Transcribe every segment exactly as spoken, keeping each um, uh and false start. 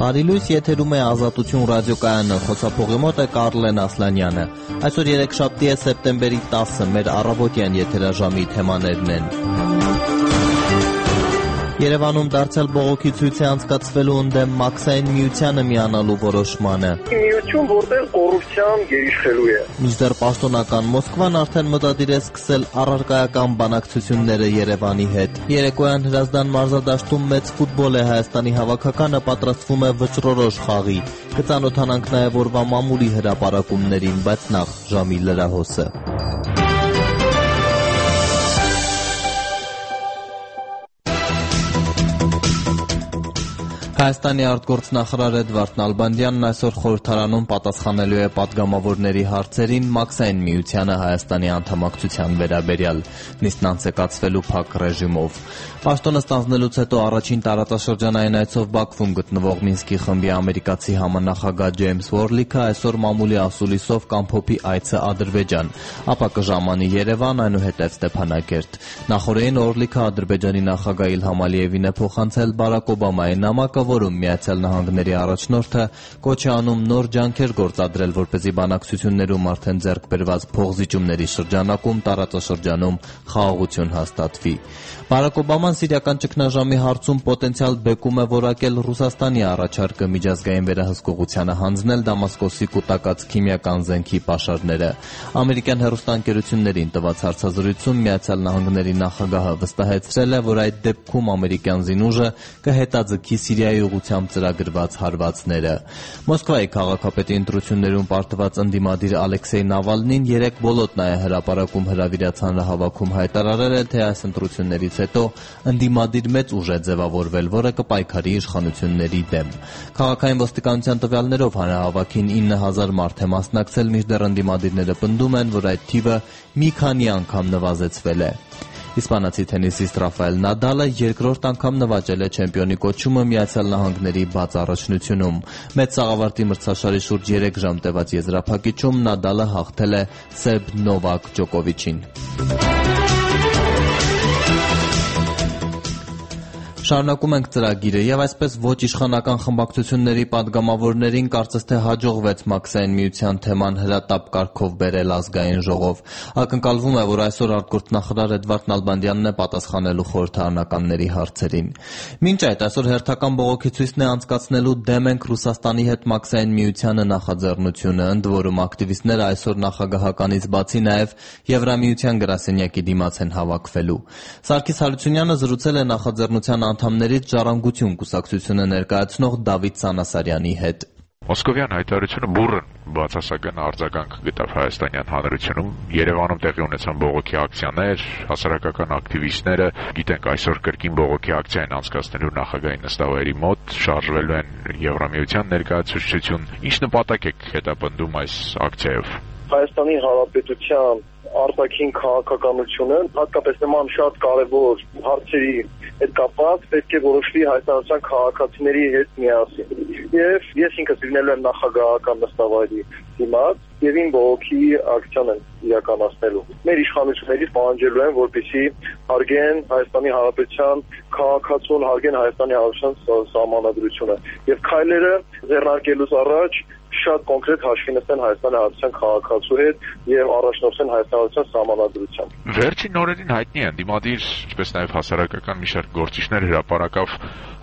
Բարի լույս, եթերում է Ազատություն ռադիոկայանը, խոսափողի մոտ է Կարլեն Ասլանյանը։ Այսօր երեքշաբթի է, սեպտեմբերի տասը, մեր առավոտյան եթերաժամի թեմաներն են։ Երևանում դարձյալ բողոքի ցույց է անցկացվելու ընդդեմ Մաքսային միությանը միանալու որոշմանը։ Միություն, որտեղ կոռուպցիան գերիշխելու է։ Մինչդեռ պաշտոնական Մոսկվան արդեն մտադիր է սկսել առարկայական բանակցությունները Երևանի հետ։ Երեկոյան Հրազդան մարզադաշտում մեծ ֆուտբոլ է, Հայաստանի հավաքականը պատրաստվում է վճռորոշ խաղի։ Կծանոթանանք նաև օրվա մամուլի հրապարակումներին, բայց նախ ժամի լրահոսը։ Հայաստանի արտգործնախարար Էդվարդ Նալբանդյանն այսօր խորհրդարանում պատասխանելու է պատգամավորների հարցերին Մաքսային միությանը Հայաստանի անդամակցության վերաբերյալ, նիստն անցկացվելու փակ ռեժիմով։ Պաշտոնը ստանձնելուց հետո առաջին տարածաշրջանային այցով Բաքվում գտնվող Մինսկի խմբի ամերիկացի համանախագահ Ջեյմս Ուորլիքը այսօր մամուլի ասուլիսով կամփոփի այցը Ադրբեջան, ապա կժամանի Երևան, այնուհետև Ստեփանակերտ։ Նախորդին Ուորլիքը Ադրբեջանի նախագահ Իլհամ Ալիևին է փոխանցել Բարակ Օբամայի նամակը, որում Միացյալ Նահանգների առաջնորդը կոչ է անում նոր ջանքեր գործադրել, որպեսզի բանակցություններում արդեն ձեռք բերված փոխզիջումների շրջանակում տարածաշրջանում խաղաղություն հաստատվի։ Բարակ Օբաման սիրիական ճգնաժամի հարցում պոտենցիալ բեկում է որակել Ռուսաստանի առաջարկը միջազգային վերահսկողությանը հանձնել Դամասկոսի կուտակած քիմիական զենքի պաշարները։ Ամերիկյան հեռուստաընկերություններին տված հարցազրույցում Միացյալ Նահանգների նախագահը վստահեցրել է, որ այդ դեպքում ամերիկյան զինուժը կհետաձգի Սիրիայի ուղղությամբ ծրագրված հարվածները։ Մոսկվայի քաղաքապետի ընտրություններում պարտված ընդդիմադիր Ալեքսեյ Նավալնին երեք բոլոտնայ հրապարակում հրավիրած հանրահավաքում հայտարարել է, թե այս ընտրություններից հետո ընդդիմադիր մեծ ուժ է ձևավորվել, որը կպայքարի իշխանությունների դեմ։ Քաղաքային ոստիկանության տվյալներով հանրահավաքին ինը հազար մարդ է մասնակցել, մինչդեռ ընդդիմադիրները պնդում են, որ այդ թիվը մի քանի անգամ նվազեցվել է։ Իսպանացի թենիսիստ Ռաֆայել Նադալը երկրորդ անգամ նվաճել է չեմպիոնի կոչումը Միացյալ Նահանգների բաց առաջնությունում։ Մեծ սաղավարտի մրցաշարի շուրջ երեք ժամ տևած եզրափակիչում Նադալը հաղթել է սերբ Նովակ Ջոկովիչին։ Շարունակում ենք ծրագիրը եւ այսպես ոչ իշխանական խմբակցությունների պատգամավորներին կարծես թե հաջողվեց Մաքսային միության թեման հրատապ կարգով բերել ազգային ժողով։ Ակնկալվում է, որ այսօր արտգործնախարար Էդվարդ Նալբանդյանն է պատասխանելու խորհրդարանականների հարցերին։ Մինչ այդ այսօր հերթական բողոքի ցույցն է անցկացնելու «Դեմ ենք Ռուսաստանի հետ Մաքսային միությանը» նախաձեռնությունը, ընդ որում ակտիվիստները այսօր նախագահականից բացի նաեւ Եվրամիության գրասենյակի դիմաց են հավաքվելու։ Սարգիս Հարությունյանը զրուցել է նախաձեռնության անդամներից Ժառանգություն կուսակցությունը ներկայացնող Դավիթ Սանասարյանի հետ։ Մոսկովյան հայտարարությունը բուռն բացասական արձագանք գտավ հայաստանյան հանրությունում։ Երևանում տեղի ունեցան բողոքի ակցիաներ, հասարակական ակտիվիստները, գիտենք այսօր կրկին բողոքի ակցիա են անցկացնելու նախագահի նստավայրի մոտ, շարժվելու են Եվրամիության ներկայացուցչություն։ Ինչ նպատակ եք հետապնդում այս ակցիայով։ Հայաստանի Հանրապետության արտաքին քաղաքականությունը, հատկապես նման շատ կարևոր հարցերի հետ կապված պետք է որոշվի հայաստանյան քաղաքացիների հետ միասին։ Եվ ես ինքս լինելու եմ նախագահական նստավայրի դիմաց եւ ին բողոքի ակցիան են իրականացնելու։ Մեր իշխանություններից պահանջելու են, որպեսզի հարգեն Հայաստանի Հանրապետության քաղաքացուն, հարգեն Հայաստանի Հանրապետության սահմանադրությունը եւ քայլերը ձեռնարկելուց առաջ շատ կոնկրետ հաշվի նստեն Հայաստանի Հանրապետության քաղաքացու հետ եւ առաջնորդեն Հայաստանի Հանրապետության սահմանադրությամբ։ Վերջին օրերին հայտնի է ընդդիմադիր, ինչպես նաեւ հասարակական մի շարք գործիչներ հրապարակավ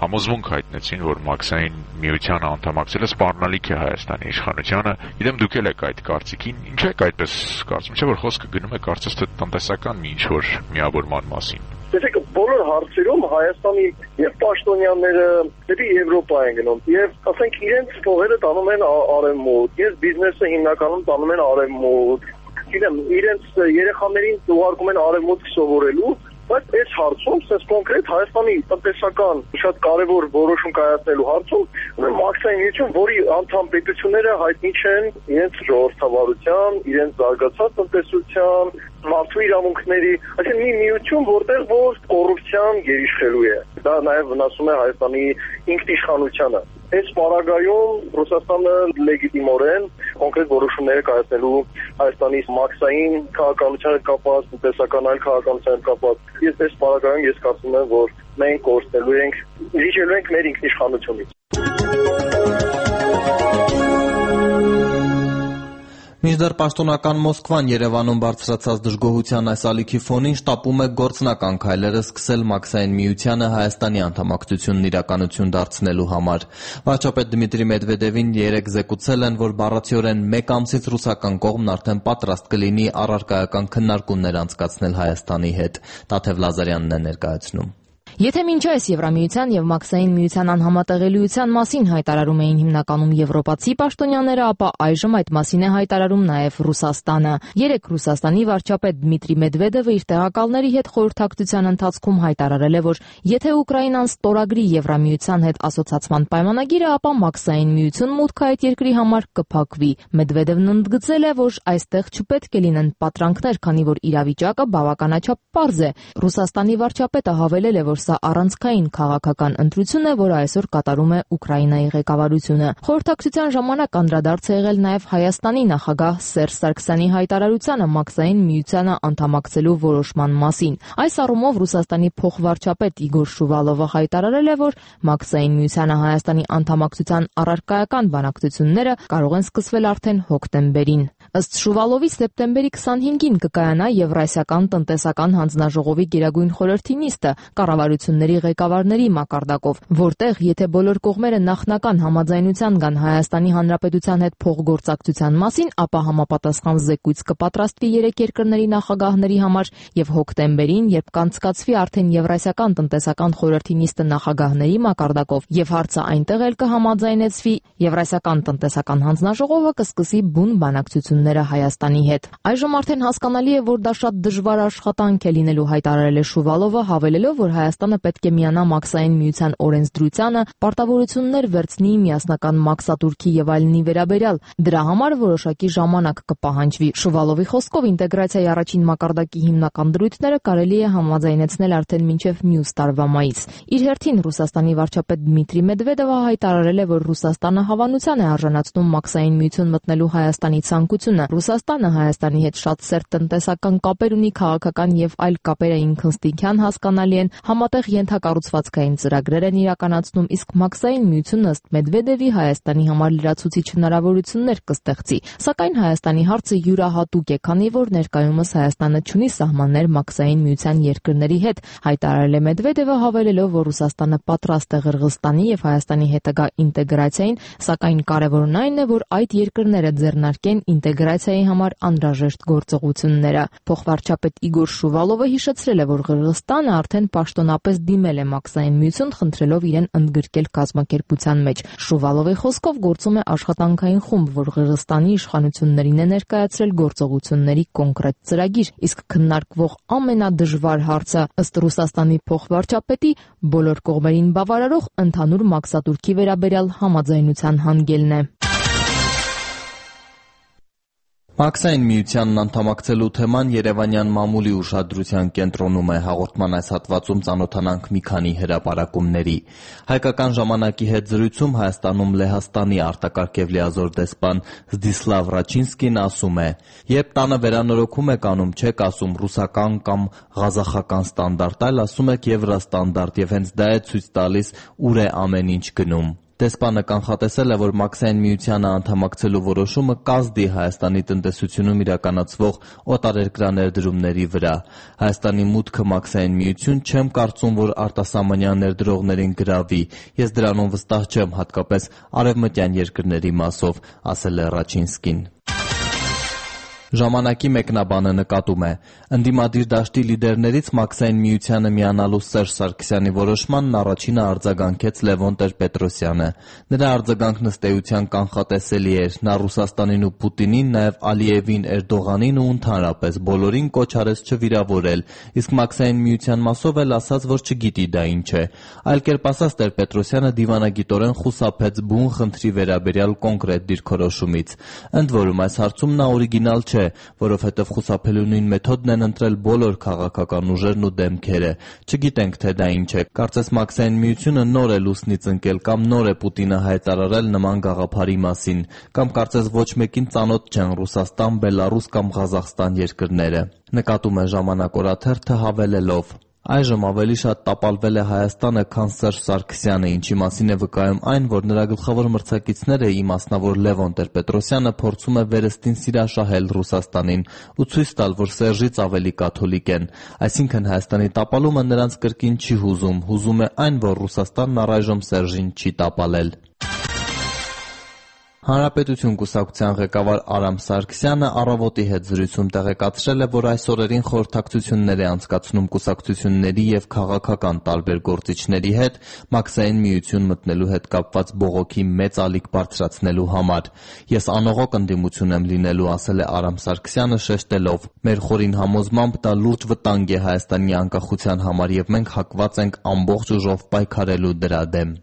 համոզմունք հայտնեցին, որ Մաքսային միությանը անդամակցելը սպառնալիք է Հայաստանի իշխանությանը։ Իդեմ դուք եք այդ կարծիքին, ինչ եք այդպես կարծում, չէ՞ որ խոսքը գնում է կարծես թե տնտեսական մի ինչ-որ միավորման մասին։ Տեսեք, բոլոր հարցերում Հայաստանի եւ պաշտոնյաները դեպի Եվրոպա են գնում եւ ասենք իրենց փողերը տանում են արևմուտք, ես բիզնեսը հիմնականում տանում են արևմուտք, գիտեմ, իրենց երեխաներին ուղարկում են արևմուտք սովորելու, բայց այս հարցում, sense կոնկրետ Հայաստանի տնտեսական շատ կարևոր որոշում կայացնելու հարցում, Մաքսային միություն, որի անդամ պետությունները հայտնի չեն իրենց ժողովրդավարության, իրենց զարգացած տնտեսության, մարդու իրավունքների, այսինքն մի միություն, որտեղ որ կոռուպցիան գերիշխելու է։ Դա նաև վնասում է Հայաստանի ինքնիշխանությանը։ Այս պարագայում Ռուսաստանը լեգիտիմորեն կոնկրետ որոշումներ է կայացնելու Հայաստանի Մաքսային քաղաքականության հետ կապված, տնտեսական այլ քաղաքականության հետ կապված։ Ես այս պարագայում ես կարծում եմ, որ մենք կորցնելու ենք, լիճելու ենք մեր ինքնիշխանությունից։ Մինչդեռ պաշտոնական Մոսկվան Երևանում բարձրացած դժգոհության այս ալիքի ֆոնին շտապում է գործնական քայլերը սկսել Մաքսային միությանը Հայաստանի անդամակցությունն իրականություն դարձնելու համար։ Վարչապետ Դմիտրի Մեդվեդևին երեկ զեկուցել են, որ բառացիորեն մեկ ամսից ռուսական կողմն արդեն պատրաստ կլինի առարկայական քննարկումներ անցկացնել Հայաստանի հետ։ Տաթև Լազարյանն է ներկայացնում։ Եթե մինչ այս Եվրամիության եւ Մաքսային միության անհամատեղելիության մասին հայտարարում էին հիմնականում եվրոպացի պաշտոնյաները, ապա այժմ այդ մասին է հայտարարում նաեւ Ռուսաստանը։ Երեկ Ռուսաստանի վարչապետ Դմիտրի Մեդվեդևը իր տեղակալների հետ խորհրդակցության ընթացքում հայտարարել է, որ եթե Ուկրաինան ստորագրի Եվրամիության հետ ասոցիացման պայմանագիրը, ապա Մաքսային միություն մուտքը այդ երկրի համար կփակվի։ Մեդվեդևն ընդգծել է, որ այստեղ չպետք է լինեն պատրանքներ, քանի որ իրավիճակը բավականաչափ պարզ է։ Ռուսաստանի վարչապետը հավելել է, որ սա առանցքային քաղաքական ընտրություն է, որը այսօր կատարում է Ուկրաինայի ղեկավարությունը։ Խորհրդակցության ժամանակ անդրադարձ է եղել նաև Հայաստանի նախագահ Սերժ Սարգսյանի հայտարարությանը Մաքսային միությանը անդամակցելու որոշման մասին։ Այս առումով Ռուսաստանի փոխվարչապետ Իգոր Շուվալովը հայտարարել է, որ Մաքսային միությանը Հայաստանի անդամակցության առարկայական բանակցությունները կարող են սկսվել արդեն հոկտեմբերին։ Ըստ Շուվալովի սեպտեմբերի քսանհինգին կկայանա Եվրասիական տնտեսական հանձնաժողովի գերագույն խորհրդի նիստը կառավարությունների ղեկավարների մակարդակով, որտեղ եթե բոլոր կողմերը նախնական համաձայնության գան Հայաստանի Հանրապետության հետ փոխգործակցության մասին, ապա համապատասխան զեկույց կպատրաստվի երեք երկրների նախագահների համար եւ հոկտեմբերին, երբ կանցկացվի արդեն Եվրասիական տնտեսական խորհրդի նիստը նախագահների մակարդակով եւ հարցը այնտեղ էլ կհամաձայնեցվի, Եվրասիական տնտեսական հանձնաժողովը կսկսի բուն բանակցությունները Հայաստանի հետ։ Այժմ արդեն հասկանալի է, որ դա շատ դժվար աշխատանք է լինելու, հայտարարել է Շուվալովը, հավելելով, որ Հայաստանը պետք է միանա Մաքսային միության օրենսդրությանը, պարտավորություններ վերցնի միասնական մաքսատուրքի եւ այլնի վերաբերյալ։ Դրա համար որոշակի ժամանակ կպահանջվի։ Շուվալովի խոսքով ինտեգրացիայի առաջին մակարդակի հիմնական դրույթները կարելի է համաձայնեցնել արդեն մինչև մյուս տարվա մայիս։ Իր հերթին Ռուսաստանի վարչապետ Դմիտրի Մեդվեդևը հայտարարել է, որ Ռուսաստանը հավանության է արժանացնում Մաքսային միություն մտնելու Հայաստանի ցանկությունը։ Ռուսաստանը Հայաստանի հետ շատ սերտ տնտեսական կապեր ունի, քաղաքական եւ այլ կապերը ինքնստինքյան հասկանալի են, համատեղ ենթակառուցվածքային ծրագրեր են իրականացնում, իսկ Մաքսային միությունն ըստ Մեդվեդևի Հայաստանի համար լրացուցիչ հնարավորություններ կստեղծի։ Սակայն Հայաստանի հարցը յուրահատուկ է, քանի որ ներկայումս Հայաստանը չունի սահմաններ Մաքսային միության երկրների հետ, հայտարարել է Մեդվեդևը, հավելելով, որ Ռուսաստանը պատրաստ է Ղրղստանի եւ Հայաստանի հետագա ինտեգրացիային, սակայն կարևորն այն է, որ այդ երկրները ձեռնարկեն ինտեգրացիայի համար անհրաժեշտ գործողությունները։ Փոխվարչապետ Իգոր Շուվալովը հիշեցրել է, որ Ղրղստանը արդեն պաշտոնապես դիմել է Մաքսային միություն, խնդրելով իրեն ընդգրկել կազմակերպության մեջ։ Շուվալովի խոսքով գործում է աշխատանքային խումբ, որ Ղրղստանի իշխանություններին է ներկայացրել գործողությունների կոնկրետ ծրագիր, իսկ քննարկվող ամենադժվար հարցը ըստ Ռուսաստանի փոխվարչապետի բոլոր կողմերին բավարարող ընդհանուր մաքսատուրքի վերաբերյալ համաձայնության հանգելն է։ Մաքսային միությանն անդամակցելու թեման երևանյան մամուլի ուշադրության կենտրոնում է, հաղորդման այս հատվածում ծանոթանանք մի քանի հրապարակումների։ Հայկական ժամանակի հետ զրույցում Հայաստանում Լեհաստանի արտակարգ եւ լիազոր դեսպան Զդիսլավ Ռաչինսկին ասում է. «Երբ տանը վերանորոգում եք անում, չեք ասում ռուսական կամ ղազախական ստանդարտ, այլ ասում եք եվրոստանդարտ եւ հենց դա է ցույց տալիս ուր է ամեն ինչ գնում»։ Դեսպանը կանխատեսել է, որ Մաքսային միությանը անդամակցելու որոշումը կազդի Հայաստանի տնտեսությունում իրականացվող օտարերկրաներդրումների վրա։ Հայաստանի մուտքը Մաքսային միություն չեմ կարծում, որ արտասահմանյան ներդրողներին գրավի։ Ես դրանում վստահ չեմ, հատկապես արևմտյան երկրների մասով, ասել է Ռաչինսկին։ Ժամանակի մեկնաբանը նկատում է. ընդդիմադիր դաշտի լիդերներից Մաքսային միությանը միանալու Սերժ Սարգսյանի որոշմանն առաջինը արձագանքեց Լևոն Տեր-Պետրոսյանը։ Նրա արձագանքն ըստ էության կանխատեսելի էր։ Նա Ռուսաստանին ու Պուտինին, նաև Ալիևին, Էրդողանին ու ընդհանրապես բոլորին կոչ արեց չվիրավորել, իսկ Մաքսային միության մասով էլ ասաց, որ չգիտի դա ինչ է։ Այլ կերպ ասած, Տեր-Պետրոսյանը դիվանագիտորեն խուսափեց բուն խնդրի վերաբերյալ կոնկրետ դիրքորոշումից։ Ընդ որում, այս հարցում նա օրիգինալ չէ, որովհետև խուսափելու նույն մեթոդն են ընտրել բոլոր քաղաքական ուժերն ու դեմքերը։ Չգիտենք, թե դա ինչ է։ Կարծես Մաքսային միությունը նոր է լուսնից ընկել կամ նոր է Պուտինը հայտարարել նման գաղափարի մասին, կամ կարծես ոչ մեկին ծանոթ չեն Ռուսաստան, Բելարուս կամ Ղազախստան երկրները։ Նկատում է Ժամանակ օրաթերթը հավելելով. Այժմ ավելի շատ տապալվել է Հայաստանը, քան Սերժ Սարգսյանը, ինչի մասին է վկայում այն, որ նրա գլխավոր մրցակիցները՝ ի մասնավոր Լևոն Տեր-Պետրոսյանը, փորձում է վերստին սիրաշահել Ռուսաստանին ու ցույց տալ, որ Սերժից ավելի կաթոլիկ են։ Այսինքն Հայաստանի տապալումը նրանց կրկին չի հուզում, հուզում է այն, որ Ռուսաստանն առայժմ Սերժին չի տապալել։ Հանրապետություն կուսակցության ղեկավար Արամ Սարգսյանը «Առավոտ»-ի հետ զրույցում տեղեկացրել է, որ այս օրերին խորհրդակցություններ է անցկացնում կուսակցությունների և քաղաքական տարբեր գործիչների հետ Մաքսային միություն մտնելու հետ կապված բողոքի մեծ ալիք բարձրացնելու համար։ «Ես անողոք ընդդիմություն եմ լինելու», ասել է Արամ Սարգսյանը, շեշտելով. «Մեր խորին համոզմամբ դա լուրջ վտանգ է Հայաստանի անկախության համար և մենք հակված ենք ամբողջ ուժով պայքարելու դրա դեմ»։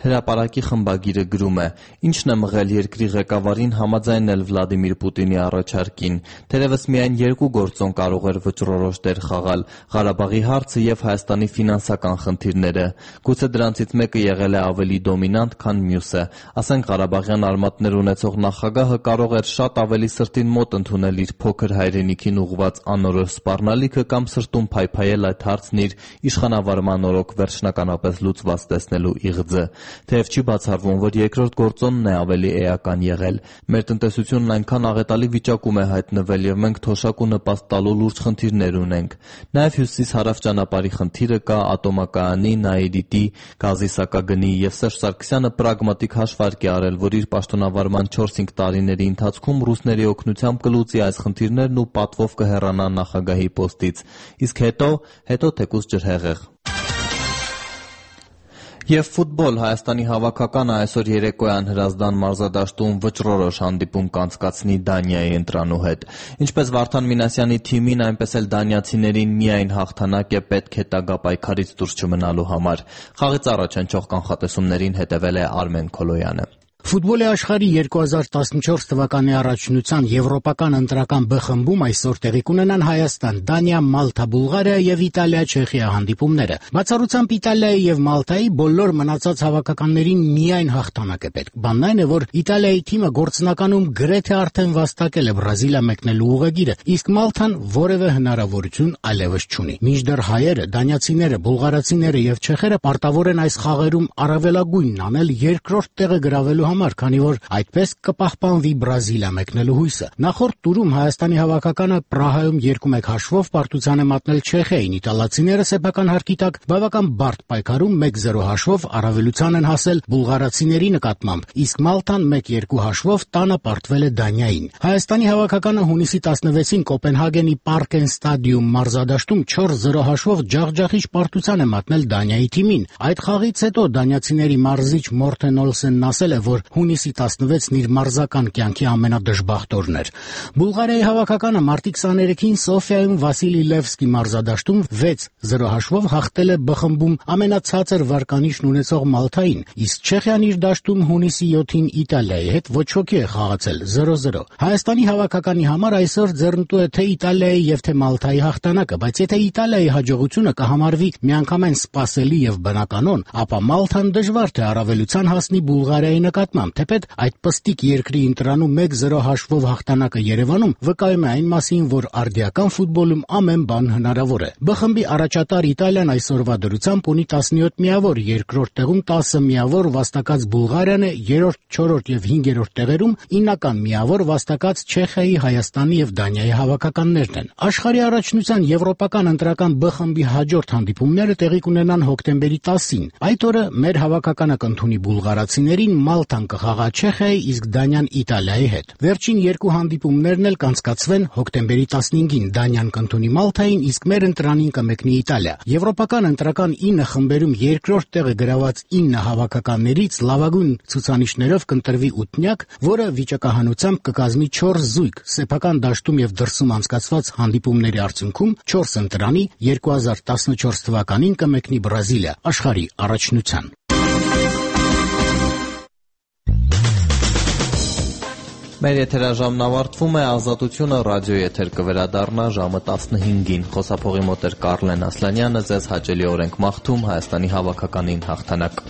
Հրապարակի խմբագիրը գրում է. «Ինչն է մղել երկրի ղեկավարին համաձայնել Վլադիմիր Պուտինի առաջարկին։ Թերևս միայն երկու գործոն կարող էր վճռորոշ դեր խաղալ՝ Ղարաբաղի հարցը և Հայաստանի ֆինանսական խնդիրները։ Գուցե դրանցից մեկը եղել է ավելի դոմինանտ, քան մյուսը։ Ասենք Ղարաբաղյան արմատներ ունեցող նախագահը կարող էր շատ ավելի սրտին մոտ ընդունել իր փոքր հայրենիքին ուղղված անորոշ սպառնալիքը կամ սրտում փայփայել այդ հարցն իր իշխանավարման օրոք վերջնականապես լուծված տեսնելու իղձը։ Թեև չի բացառվում, որ երկրորդ գործոնն է ավելի էական եղել։ Մեր տնտեսությունն այնքան աղետալի վիճակում է հայտնվել և մենք թոշակ ու նպաստ տալու լուրջ խնդիրներ ունենք։ Նաև հյուսիս-հարավ ճանապարհի խնդիրը կա, ատոմակայանի, Նաիրիտի, գազի սակագնի և Սերժ Սարգսյանը պրագմատիկ հաշվարկ է արել, որ իր պաշտոնավարման չորս-հինգ տարիների ընթացքում ռուսների օգնությամբ կլուծի այս խնդիրներն ու պատվով կհեռանա նախագահի պոստից։ Իսկ հետո, հետո թեկուզ ջրհեղեղ։ Եվ ֆուտբոլ. Հայաստանի հավաքականը այսօր երեկոյան Հրազդան մարզադաշտում վճռորոշ հանդիպում կանցկացնի Դանիայի ընտրանու հետ։ Ինչպես Վարդան Մինասյանի թիմին, այնպես էլ դանիացիներին միայն հաղթանակ է պետք հետագա պայքարից դուրս չմնալու համար։ Խաղից առաջ հնչող կանխատեսումներին հետևել է Արմեն Քոլոյանը։ Ֆուտբոլի աշխարհի երկու հազար տասնչորս թվականի առաջնության եվրոպական ընտրական Բ խմբում այսօր տեղի կունենան Հայաստան, Դանիա, Մալթա, Բուլղարիա եւ Իտալիա, Չեխիա հանդիպումները։ Բացառությամբ Իտալիայի եւ Մալթայի բոլոր մնացած հավաքականներին միայն հաղթանակ է պետք։ Բանն այն է, որ Իտալիայի թիմը գործնականում գրեթե արդեն վաստակել է Բրազիլիա մեկնելու ուղեգիրը, իսկ Մալթան որևէ հնարավորություն այլևս չունի։ Մինչդեռ հայերը, դանիացիները, բուլղարացիները եւ չեխերը պարտավոր են այս խաղերում առավելագույնն անել երկրորդ տեղը գրավելու համար, քանի որ այդպես կպահպանվի Բրազիլիա մեկնելու հույսը։ Նախորդ տուրում Հայաստանի հավաքականը Պրահայում երկու մեկ հաշվով պարտության է մատնել Չեխիային, իտալացիները սեփական հարկի տակ բավական բարդ պայքարում մեկ զրո հաշվով առավելության են հասել բուլղարացիների նկատմամբ, իսկ Մալթան մեկ երկու հաշվով տանը պարտվել է Դանիային։ Հայաստանի հավաքականը հունիսի տասնվեցին Կոպենհագենի Պարկեն ստադիում մարզադաշտում չորս զրո հաշվով ջախջախիչ պարտության է մատնել Դանիայի թիմին։ Այդ խաղից հետո դանիացիների մարզիչ Մորթեն Օլսենն ասել է, որ հունիսի տասնվեցն իր մարզական կյանքի ամենադժբախտ օրն էր։ Բուլղարիայի հավաքականը մարտի քսաներեքին Սոֆիայում Վասիլի Լևսկի մարզադաշտում վեց զրո հաշվով հաղթել է Բ խմբում ամենացածր վարկանիշն ունեցող Մալթային, իսկ Չեխիան իր դաշտում հունիսի յոթին Իտալիայի հետ ոչ ոքի է խաղացել զրո զրո։ Հայաստանի հավաքականի համար այսօր ձեռնտու է թե Իտալիայի եւ թե Մալթայի հաղթանակը, բայց եթե Իտալիայի հաջողությունը կհամարվի միանգամայն սպասելի եւ բնականon, ապա Մալթան դժվար թե առավելության հասնի Բուլղարիայի նկատմամբ, թեպետ այդ պստիկ երկրի ընտրանում մեկ զրո հաշվով հաղթանակը Երևանում վկայում է այն մասին, որ արդիական ֆուտբոլում ամեն բան հնարավոր է։ Բ խմբի առաջատար Իտալիան այսօրվա դրությամբ ունի տասնյոթ միավոր, երկրորդ տեղում տասը միավոր վաստակած Բուլղարիան է, երրորդ, չորրորդ եւ հինգերորդ տեղերում իննական միավոր վաստակած Չեխիայի, Հայաստանի եւ Դանիայի հավաքականներն են։ Աշխարհի առաջնության եվրոպական ընտրական Բ խմբի հաջորդ հանդիպումները տեղի կունենան հոկտեմբերի տասին։ Այդ օրը մեր հավաքականը կընդունի բուլղարացիներին, Մալթան կխաղա Չեխիայի, իսկ Դանիան Իտալիայի հետ։ Վերջին երկու հանդիպումներն էլ կանցկացվեն հոկտեմբերի տասնհինգին։ Դանիան կընդունի Մալթային, իսկ մեր ընտրանին կմեկնի Իտալիա։ Եվրոպական ընտրական ինը խմբերում երկրորդ տեղը գրաված ինը հավաքականներից լավագույն ցուցանիշներով կընտրվի ութնյակ, որը վիճակահանությամբ կկազմի չորս զույգ։ Սեփական դաշտում եւ դրսում անցկացված հանդիպումների արդյունքում չորս ընտրանի երկու հազար տասնչորս թվականին կմեկնի Բրազիլիա աշխարհի առաջնության։ Մեր եթերաժամն ավարտվում է, Ազատությունը ռադիո եթեր կվերադառնա ժամը տասնհինգին։ Խոսափողի մոտ էր Կարլեն Ասլանյանը, ձեզ հաճելի օրենք մաղթում, Հայաստանի հավաքականին հաղթանակ։